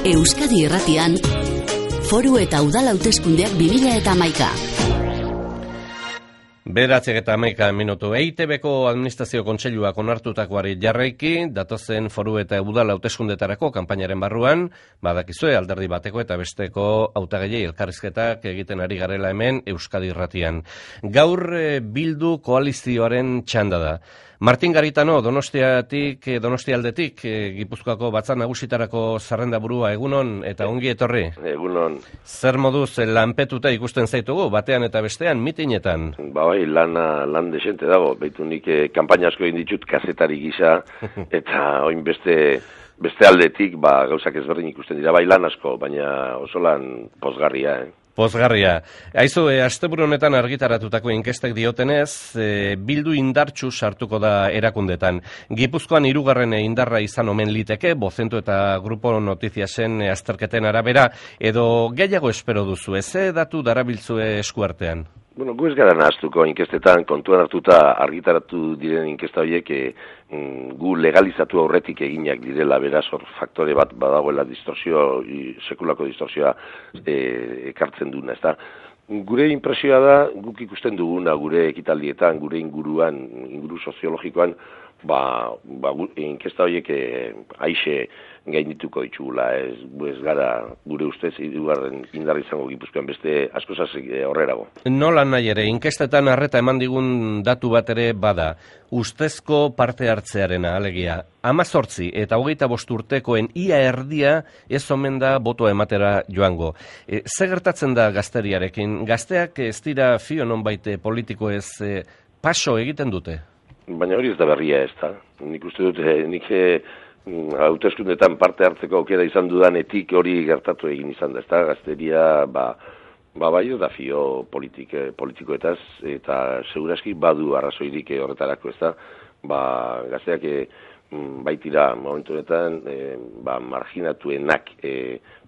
Euskadi Irratian, Foru eta Udal Hauteskundeak 2011. Bederatziak eta 11 minutu. EITB-ko Administrazio Kontseiluak onartutakoari jarraiki, datozen foru eta udal hauteskundetarako kanpainaren barruan, badakizue alderdi bateko eta besteko hautagaiei elkarrizketak egiten ari garela hemen Euskadi Irratian. Gaur Bildu koalizioaren txanda da. Martin Garitano, Donostialdetik, Gipuzkoako Batzar Nagusitarako zerrendaburua, egunon eta ongi etorri. Egunon. Zer moduz lanpetuta ikusten zaitugu, batean eta bestean, mitinetan? Bai, lan desente dago. Beitu nik kanpaina asko egin ditut kazetari gisa, eta oin beste aldetik, gauzak ezberdin ikusten dira, bai lan asko, baina oso lan pozgarria, Pozgarria. Aizu, asteburu honetan argitaratutako inkestek diotenez, Bildu indartsu sartuko da erakundetan. Gipuzkoan 3. indarra izan omen liteke, Bozentu eta Grupo Notiziasen azterketen arabera, edo gehiago espero duzu, ze datu darabiltzue eskuartean? Bueno, gu ez gara nahaztuko inkestetan, kontuan hartuta argitaratu diren inkesta horiek gu legalizatu aurretik eginak direla, beraz hor faktore bat badagoela sekulako distorsioa ekartzen duna, ezta? Gure impresioa da, guk ikusten duguna gure ekitaldietan, gure inguru soziologikoan, inkesta horiek aixe gaindituko ditugula, ez gara gure ustez hirugarren indar izango Gipuzkoan beste askozaz horrerago. Nola nahi ere, inkestetan arreta eman digun datu bat ere bada, ustezko parte hartzearena, alegia, 18 eta 25 urtekoen ia erdia ez omen da botoa ematera joango. Ze gertatzen da gazteriarekin? Gazteak ez dira fio nonbait politiko ez paso egiten dute? Baina hori ez da berria ez da. Nik uste dut, hauteskundetan parte hartzeko aukera izan dudanetik hori gertatu egin izan da, ez da, gazteria, bai ez da fio politikoetaz, eta seguraski badu arrazoirik horretarako, ez da, gazteak baitira momentu honetan, marginatuenak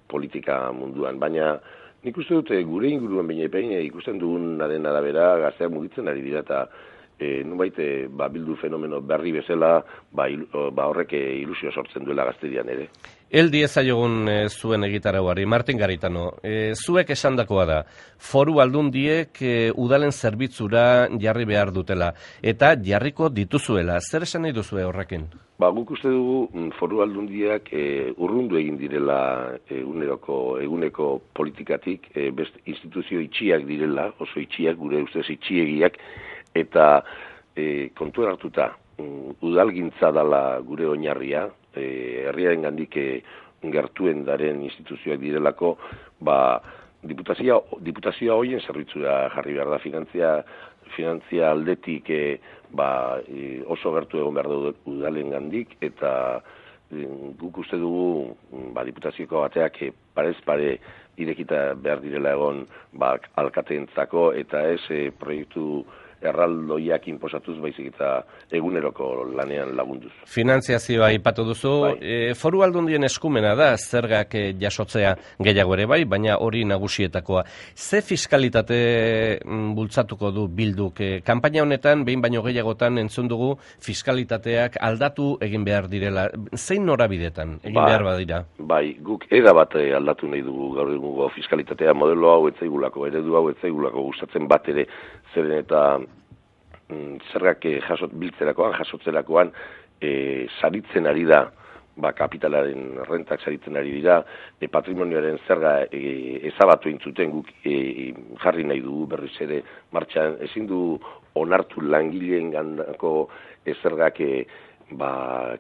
politika munduan, baina nik uste dut, gure inguruan baina ikusten dugunaren arabera gazteak mugitzen ari dira, eta nubait Bildu fenomeno berri bezala horrek ilusio sortzen duela gazterian ere. Eldi ezaiogun zuen egitarauari, Martin Garitano, zuek esandakoa da, foru aldundiek udalen zerbitzura jarri behar dutela, eta jarriko dituzuela, zer esan nahi duzue horrekin? Guk uste dugu foru aldundiak urrundu egin direla eguneko politikatik, beste instituzio itxiak direla, oso itxiak, gure ustez itxiegiak, eta kontuan hartuta udalgintza dela gure oinarria, herriaren gandik gertuen daren instituzioak direlako, diputazioa hoien zerbitzura jarri behar da, finantzia aldetik oso gertu egon behar da udalen gandik, eta guk uste dugu diputazioko bateak parez pare irekita behar direla egon alkateentzako, eta ez proiektu erraldoiak inposatuz baizik eta eguneroko lanean lagunduz. Finantziazioa aipatu duzu, foru aldundien eskumena da zergak jasotzea gehiago ere bai, baina hori nagusietakoa. Ze fiskalitate bultzatuko du Bilduk? Kanpaina honetan, behin baino gehiagotan entzun dugu fiskalitateak aldatu egin behar direla. Zein norabidetan egin behar badira? Bai, guk bat aldatu nahi dugu gaur egungo fiskalitatea, modelo hau etzaigulako, eredu hau etzaigulako gustatzen bat ere, zeren eta zergak biltzerakoan, jasotzerakoan saritzen ari da, kapitalaren rentak saritzen ari dira, patrimonioaren zerga ezabatu intzuten guk jarri nahi dugu berriz ere martxan, ezin du onartu langileen gandako zergak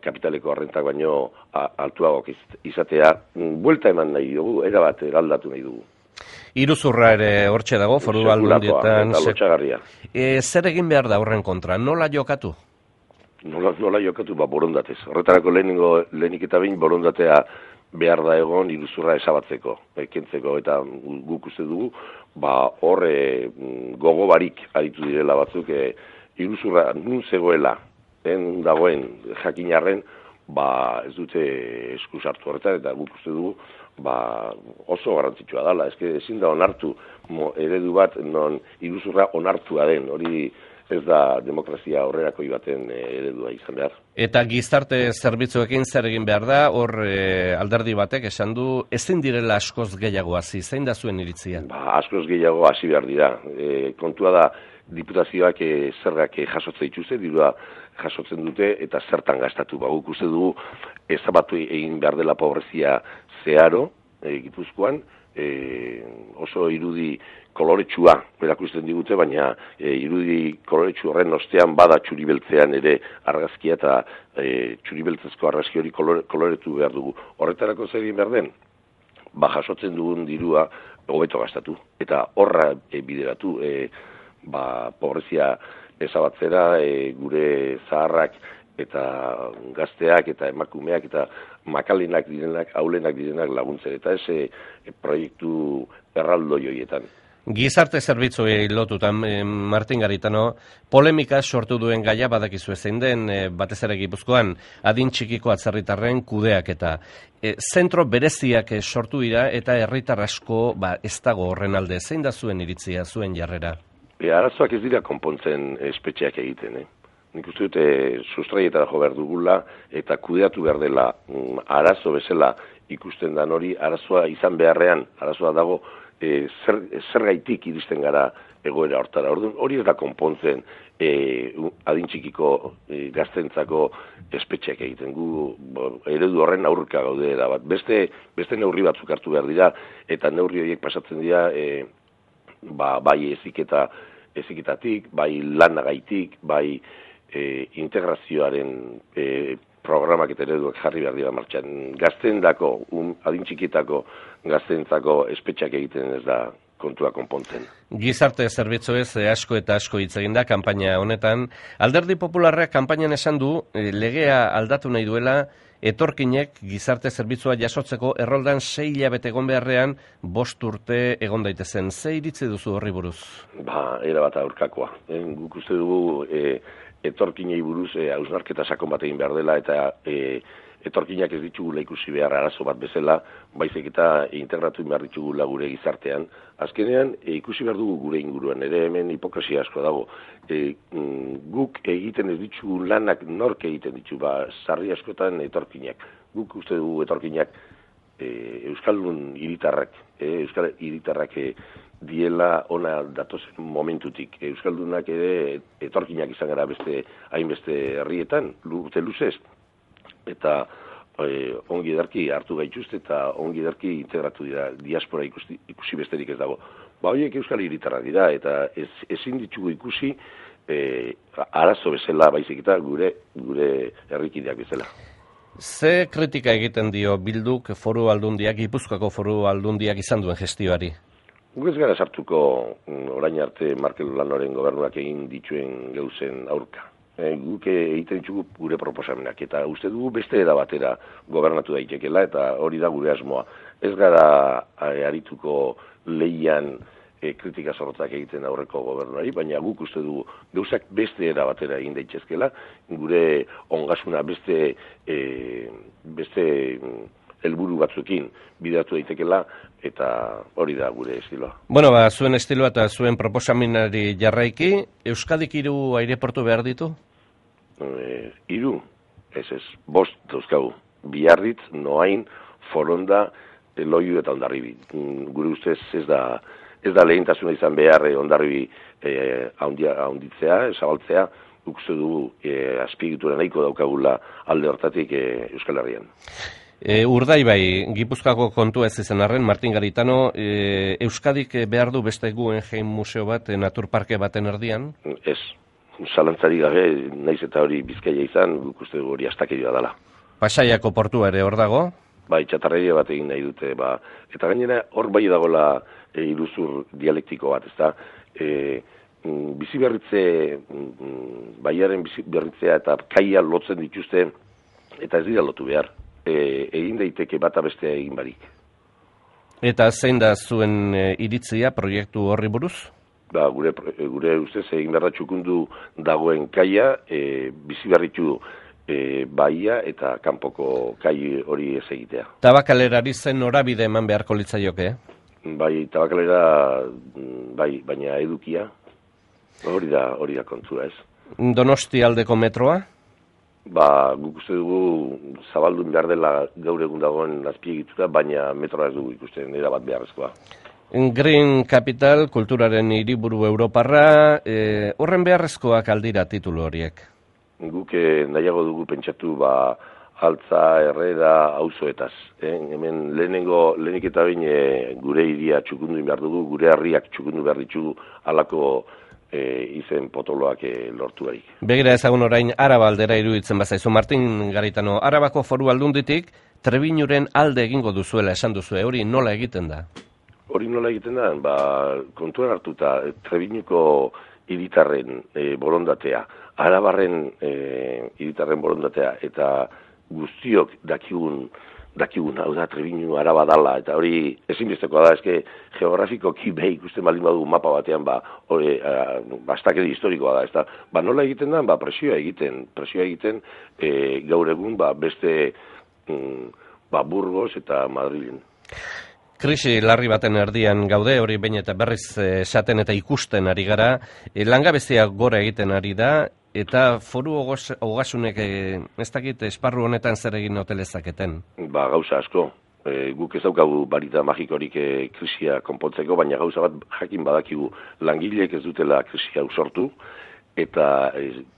kapitaleko rentak baino altuagok izatea, buelta eman nahi dugu, erabat eraldatu nahi dugu. Iruzurra ere hortxe dago, foru aldundietan. Zer egin behar da horren kontra? Nola jokatu? Nola jokatu, borondatez. Horretarako lehenik eta behin borondatea behar da egon iruzurra esabatzeko, kentzeko, eta guk uste dugu, horre gogo barik aritu direla batzuk, iruzurra nun zegoela, dagoen jakinarren, ez dute esku sartu horretan, eta guk uste dugu, oso garrantzitsua dela, ezin da onartu eredu bat non iruzurra onartua den, hori ez da demokrazia aurrerakoi baten eredua izan behar. Eta gizarte zerbitzuekin zer egin behar da, hor alderdi batek esan du, ezin direla askoz gehiago hasi, zein da zuen iritzia? Askoz gehiago hasi behar dira. Kontua da, diputazioak zergak jasotzen dituzte, dirua jasotzen dute, eta zertan gastatu. Guk uste dugu, ezabatu egin behar dela pobrezia zeharo, Gipuzkoan, oso irudi koloretsua erakusten digute, baina irudi koloretsu horren ostean bada txuribeltzean ere argazkia eta txuribeltzezko argazki hori koloretu behar dugu. Horretarako zer egin behar den? Jasotzen dugun dirua hobeto gastatu eta horra bideratu pobrezia ezabatzera gure zaharrak eta gazteak eta emakumeak eta makalenak direnak, aulenak direnak laguntzen, eta ez proiektu erraldoi horietan. Gizarte zerbitzuei lotutan, Martin Garitano, polemika sortu duen gaia badakizu zein den, batez ere Gipuzkoan, adin txikiko atzerritarren kudeak eta zentro bereziak sortu dira eta herritar asko ez dago horren alde. Zein da zuen iritzia, zuen jarrera? Arazoak ez dira konpontzen espetxeak egiten, Nik uste dute sustraietara jo behar dugula eta kudeatu behar dela arazo bezala ikusten dan hori, arazoa izan beharrean, arazoa dago zer gaitik iristen gara egoera hortara. Hori ez da konpontzen adin txikiko gaztentzako espetxeak egiten. Gu eredu horren aurka gaude da bat. Beste neurri batzuk hartu behar dira eta neurri horiek pasatzen dira bai eziketatik, bai lanagaitik, bai integrazioaren programak eta ereduak jarri behar dira martxan. Gazteendako, adin txikietako gazteentzako espetxak egiten ez da kontua konpontzen. Gizarte zerbitzuez asko eta asko hitz egin da kanpaina honetan. Alderdi Popularrak kanpainan esan du legea aldatu nahi duela etorkinek gizarte zerbitzua jasotzeko erroldan 6 hilabete egon beharrean 5 urte egon daitezen. Ze iritzi duzu horri buruz? Era bat aurkakoa. Guk uste dugu etorkinei buruz hausnarketa sakon bat egin behar dela eta etorkinak ez ditugula ikusi behar arazo bat bezala, baizik eta integratu behar ditugula gure gizartean. Azkenean, ikusi behar dugu gure inguruan, ere hemen hipokresia asko dago. Guk egiten ez ditugu lanak nork egiten ditu, sarri askotan etorkinak. Guk uste dugu etorkinak Euskaldun hiritarrak, Euskal hiritarrak diela ona datozen momentutik. Euskaldunak ere etorkinak izan gara hainbeste herrietan, urte luzez. Eta ongi edarki hartu gaituzte eta ongi edarki integratu dira, diaspora ikusi besterik ez dago. Horiek Euskal hiritarrak dira eta ezin ditugu ikusi arazo bezala baizik eta gure herrikideak bezala. Ze kritika egiten dio Bilduk Foru Aldundiak, Gipuzkoako Foru Aldundiak izan duen gestioari? Guk ez gara sartuko orain arte Markel Lanoren gobernuak egin dituen gauzen aurka. Guk egiten ditugu gure proposamenak eta uste dugu beste era batera gobernatu daitekela eta hori da gure asmoa. Ez gara arituko lehian kritika zorrotzak egiten aurreko gobernuari, baina guk uste dugu gauzak beste era batera egin daitezkela, gure ongasuna beste helburu batzuekin bideratu daitekela eta hori da gure estiloa. Bueno, zuen estiloa eta zuen proposamenari jarraiki, Euskadik 3 aireportu behar ditu? 3? Ez, 5 dauzkagu. Biarritz, Noain, Foronda, Loiu eta Hondarribi. Gure ustez ez da lehentasuna izan behar Hondarribi haunditzea, zabaltzea, uste dugu azpiegitura nahiko daukagula alde hortatik Euskal Herrian. Urdaibai, Gipuzkoako kontua ez izan arren, Martin Garitano, Euskadik behar du beste Guggenheim museo bat, naturparke baten erdian? Ez, zalantzari gabe, naiz eta hori Bizkaia izan, guk uste dugu hori astakeria dela. Pasaiako portua ere hor dago? Bai, txatarreria bat egin nahi dute, eta gainera hor bai dagoela iruzur dialektiko bat, ezta? Biziberritze, baiaren biziberritzea eta kaia lotzen dituzte, eta ez dira lotu behar. Egin daiteke bata bestea egin barik. Eta zein da zuen iritzia proiektu horri buruz? Gure ustez egin behar da txukundu dagoen kaia, biziberritu baia eta kanpoko kai hori ez egitea. Tabakalerari zen norabide eman beharko litzaioke? Bai, tabakalera, bai, baina edukia. Hori da kontua ez. Donosti aldeko metroa? Guk uste dugu zabaldun behar dela gaur egun dagoen azpiegitura, baina metroa ez dugu ikusten erabat beharrezkoa. Green Capital, kulturaren hiriburu Europarra, horren beharrezkoak aldira titulu horiek? Guk nahiago dugu pentsatu altza, herrera, auzoetaz. Hemen lehenik eta bain gure hiria txukundu behar dugu, gure herriak txukundu behar ditugu halako izen potoloak lortu barik. Begira ezagun orain Araba aldera iruditzen bazaizu, Martin Garitano, Arabako Foru Aldunditik Trebiñuren alde egingo duzuela esan duzue, hori nola egiten da? Hori nola egiten da, kontuan hartuta Trebiñuko hiritarren borondatea, Arabarren hiritarren borondatea, eta guztiok dakigun, hau da, Trebiñu Araba dala, eta hori ezinbestekoa da, eske geografikoki ikusten baldin badu mapa batean, bastakeri historikoa da, ezta, nola egiten da, presioa egiten, gaur egun, beste, Burgos eta Madrilen. Krisi larri baten erdian gaude, hori behin eta berriz esaten eta ikusten ari gara, langabezia gora egiten ari da, eta foru ogasunek ez dakit esparru honetan zer egin hotelezaketen? Gauza asko. Guk ez daukagu barita magikorik krisia konpontzeko, baina gauza bat jakin badakigu langileek ez dutela krisi hau sortu, eta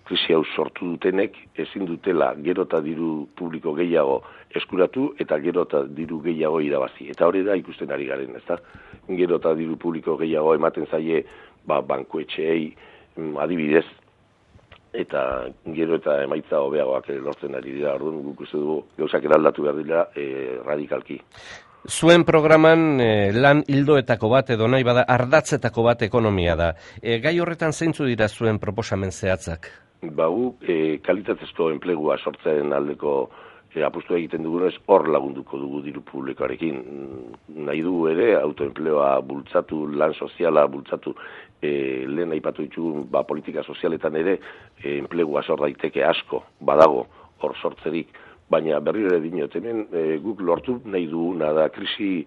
krisi hau sortu dutenek ezin dutela gero eta diru publiko gehiago eskuratu eta gero eta diru gehiago irabazi. Eta hori da ikusten ari garen, ezta? Gero eta diru publiko gehiago ematen zaie bankuetxeei adibidez, eta gero eta emaitza hobeagoak lortzen ari dira. Orduan guk uste dugu gauzak eraldatu behar dira radikalki. Zuen programan lan ildoetako bat edo nahi bada ardatzetako bat ekonomia da. Gai horretan zeintzu dira zuen proposamen zehatzak? Guk kalitatezko enplegua sortzen aldeko apustu egiten dugunez hor lagunduko dugu diru publikoarekin. Nahi dugu ere autoenpleoa bultzatu, lan soziala bultzatu, lehen aipatu ditugun politika sozialetan ere enplegua sor daiteke asko, badago hor sortzerik, baina berriro ere dinot, hemen guk lortu nahi duguna da krisi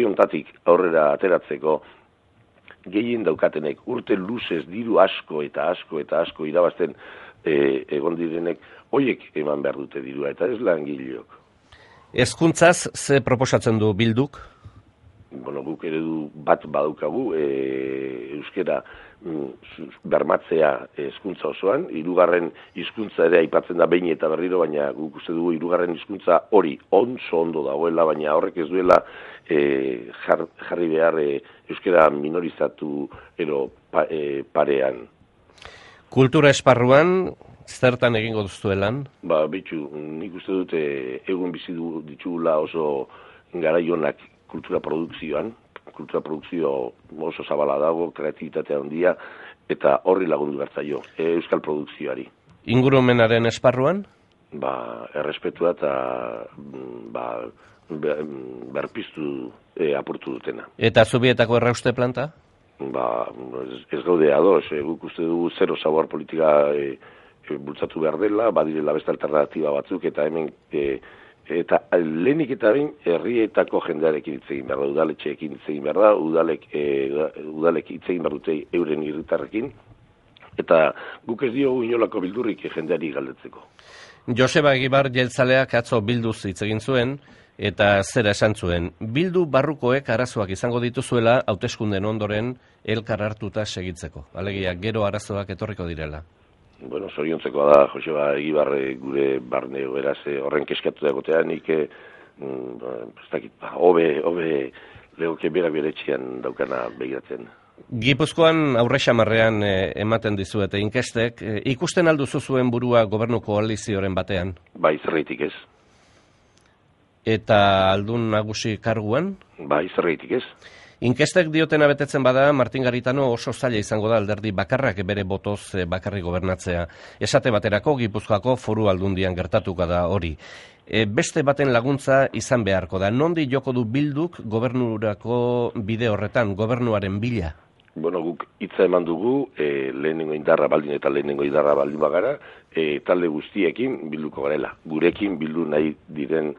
hontatik aurrera ateratzeko gehien daukatenek urte luzez diru asko eta asko irabazten egon direnek, hoiek eman behar dute dirua, eta ez langileok. Hezkuntzaz ze proposatzen du Bilduk? Guk eredu bat badaukagu, euskera bermatzea hezkuntza osoan, hirugarren hizkuntza ere aipatzen da behin eta berriro, baina guk uste dugu hirugarren hizkuntza hori ondo dagoela, baina horrek ez duela jarri behar euskera minorizatu ero parean. Kultura esparruan, zertan egingo duztuelan? Bitxu, nik uste dute egun bizi ditugula oso garaionak kultura produkzio oso zabala dago, kreatibitatea handia, eta horri lagundu bertzaio, euskal produkzioari. Ingurumenaren esparruan? Errespetua eta berpiztu apurtu dutena. Eta Zubietako errauste planta? Ez gaude ados, guk uste dugu zero sabor politika bultzatu behar dela, badirela beste alternatiba batzuk, eta hemen eta lehenik eta bain herrietako jendearekin hitz egin behar da, udaletxeekin hitz egin behar da, udalek hitz egin behar dute euren herritarrekin, eta guk ez diogu inolako bildurrik jendeari galdetzeko. Joseba Egibar jeltzaleak atzo bilduz hitz egin zuen, eta zera esan zuen, Bildu barrukoek arazoak izango dituzuela hauteskunden ondoren elkar hartuta segitzeko. Alegia, gero arazoak etorriko direla. Zoriontzekoa da, Joseba Egibar gure barne beraz horren keskatu dagotea, nik hobe legoke berak beretxean daukana begiratzen. Gipuzkoan aurre xamarrean ematen dizuete inkestek, ikusten alduzu zuen burua gobernu koalizioaren batean? Zerreitik ez. Eta aldun nagusi karguan? Zerreitik ez. Inkestek diotena betetzen bada, Martin Garitano oso zaila izango da alderdi bakarrak bere botoz bakarrik gobernatzea. Esate baterako Gipuzkoako Foru Aldundian gertatuko da hori. Beste baten laguntza izan beharko da. Nondi joko du Bilduk gobernurako bide horretan, gobernuaren bila? Guk hitza eman dugu, lehenengo indarra baldin bagara, talde guztiekin bilduko garela. Gurekin bildu nahi diren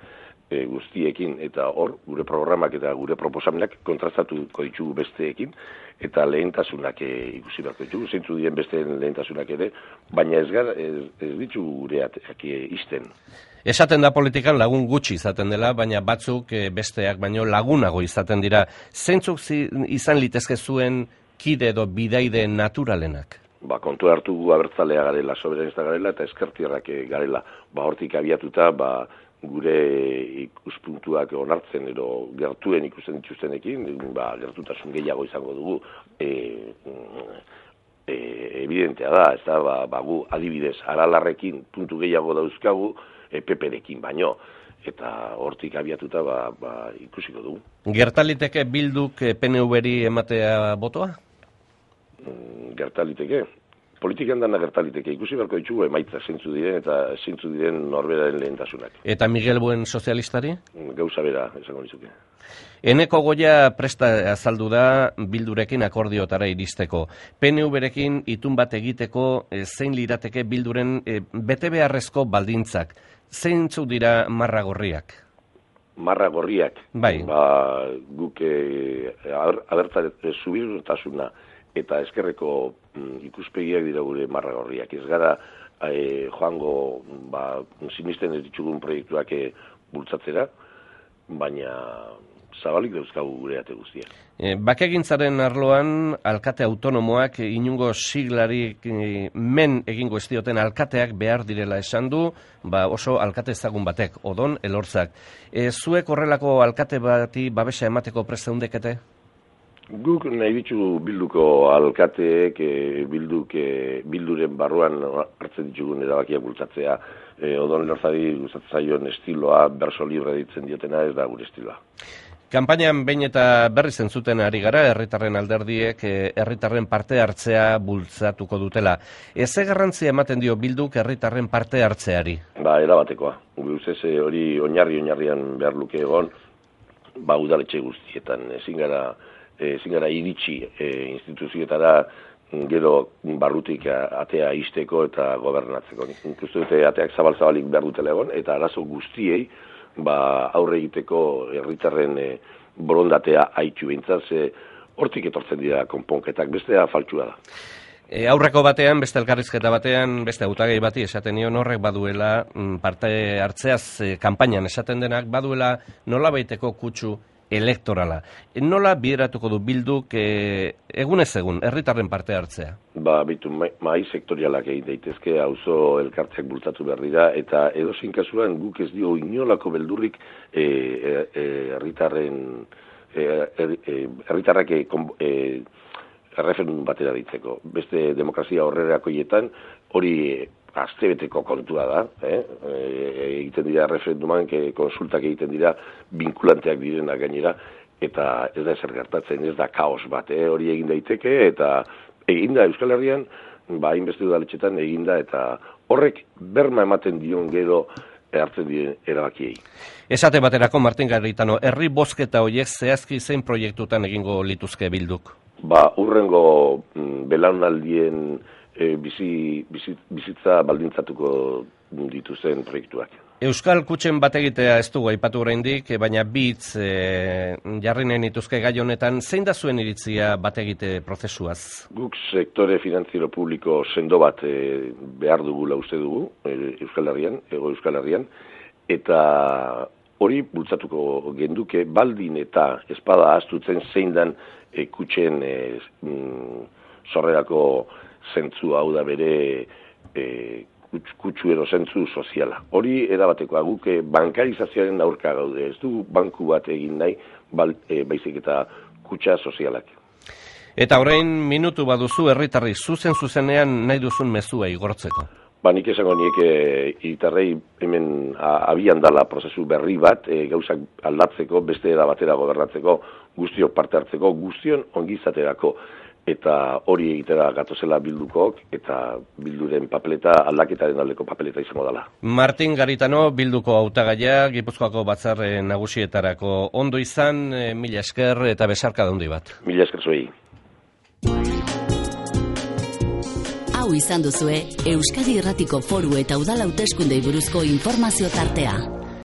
guztiekin, eta hor, gure programak eta gure proposamenak kontrastatuko ditugu besteekin, eta lehentasunak ikusi beharko ditugu, zeintzu diren besteen lehentasunak ere, baina ez ditugu gureak izten. Esaten da politikan lagun gutxi izaten dela, baina batzuk besteak baino lagunago izaten dira. Zeintzuk izan litezke zuen kide edo bidaide naturalenak? Kontu hartu gu abertzalea garela, soberanista garela, eta ezkertierrak garela. Hortik abiatuta, gure ikuspuntuak onartzen edo gertuen ikusten dituztenekin, gertutasun gehiago izango dugu, evidentea da, ez da, gu adibidez, Aralarrekin puntu gehiago dauzkagu, PP-rekin baino, eta hortik abiatuta ikusiko dugu. Gertaliteke Bilduk PNV-ri ematea botoa? Gertaliteke. Politikan dana gertaliteke. Ikusi beharko ditugu emaitza zeintzu diren eta zeintzu diren norberaren lehentasunak. Eta Miguel Buen sozialistari? Gauza bera, esango nizuke. Eneko Goia presta azaldu da Bildurekin akordiotara iristeko. PNV-rekin itun bat egiteko zein lirateke Bilduren bete beharrezko baldintzak. Zeintzu dira marra gorriak? Marra gorriak? Bai. Guk subirtasuna eta eskerreko ikuspegiak dira gure marra gorriak. Ez gara joango sinisten ez ditugun proiektuak bultzatzera, baina zabalik dauzkagu gure ate guztiak. Bakegintzaren arloan alkate autonomoak inungo siglarik men egingo ez dioten alkateak behar direla esan du, oso alkate ezagun batek, Odon Elortzak. Zuek horrelako alkate bati babesa emateko prest zeundekete? Guk nahi ditugu Bilduko alkateek, Bilduren barruan hartzen ditugun erabakiak bultzatzea. Odon Elortzari gustatzen zaion estiloa, berso libre ditzen diotena, ez da gure estiloa. Kanpainan behin eta berri zentzuten ari gara, herritarren alderdiek herritarren parte hartzea bultzatuko dutela. Eze garrantzia ematen dio Bilduk herritarren parte hartzeari? Erabatekoa. Guzez hori oinarrian behar luke egon, udaletxe guztietan. Ezin gara iritsi instituzioetara gero barrutik atea izteko eta gobernatzeko. Ikustu dute ateak zabal-zabalik behar dutela egon, eta arazo guztiei aurre egiteko herritarren borondatea haitu behintzat, hortik etortzen dira konponketak, bestea faltsua da. Aurreko batean, beste elkarrizketa batean, beste hautagai bati esaten nion horrek baduela parte hartzeaz kanpainan esaten denak, baduela nolabaiteko kutsu elektorala. Nola bideratuko du Bilduk egunez egun, herritarren parte hartzea? Bitu, mai sektorialak egin daitezke, auzo elkartzeak bultzatu behar dira, eta edozein kasuan guk ez dio inolako beldurrik herritarrak erreferendum batera ditzeko. Beste demokrazia horrerakoietan hori astebeteko kontua da, egiten dira referenduman, konsultak egiten dira vinkulanteak direna gainera, eta ez da ezer gertatzen, ez da kaos bat, hori egin daiteke, eta eginda Euskal Herrian, hainbeste udaletxetan eginda, eta horrek berma ematen dion gero hartzen diren erabakiei. Esate baterako, Martin Garitano, herri bozketa horiek zehazki zein proiektutan egingo lituzke Bilduk? Urrengo belaunaldien bizitza baldintzatuko dituzen proiektuak. Euskal Kutxen bat egitea ez dugu aipatu oraindik, baina bitz jarri nahi nituzke gai honetan, zein da zuen iritzia bat egite prozesuaz? Guk sektore finantziero publiko sendo bat behar dugula uste dugu, Euskal Herrian, Hego Euskal Herrian, eta hori bultzatuko genduke baldin eta espada astutzen zein dan kutxen sorrerako zentzu hau da bere kutsuero zentzu soziala. Hori erabatekoa guk bankarizazioaren aurka gaude, ez du banku bat egin nahi, baizik eta kutsa sozialak. Eta orain minutu baduzu herritarri zuzenean nahi duzun mezua igortzeko. Nik esango niek hiritarrei hemen abian dala prozesu berri bat, gauzak aldatzeko, beste era batera gobernatzeko, guztiok parte hartzeko, guztion ongizaterako. Eta hori egitera gatozela Bildukok, eta Bilduren papeleta aldaketaren aldeko papeleta izango dela. Martin Garitano, Bilduko hautagaia, Gipuzkoako batzar nagusietarako ondo izan, mila esker eta besarka da handi bat. Mila esker zuei. Hau izan duzue, Euskadi Irratiko Foru eta Udal Hauteskundei buruzko informazio tartea.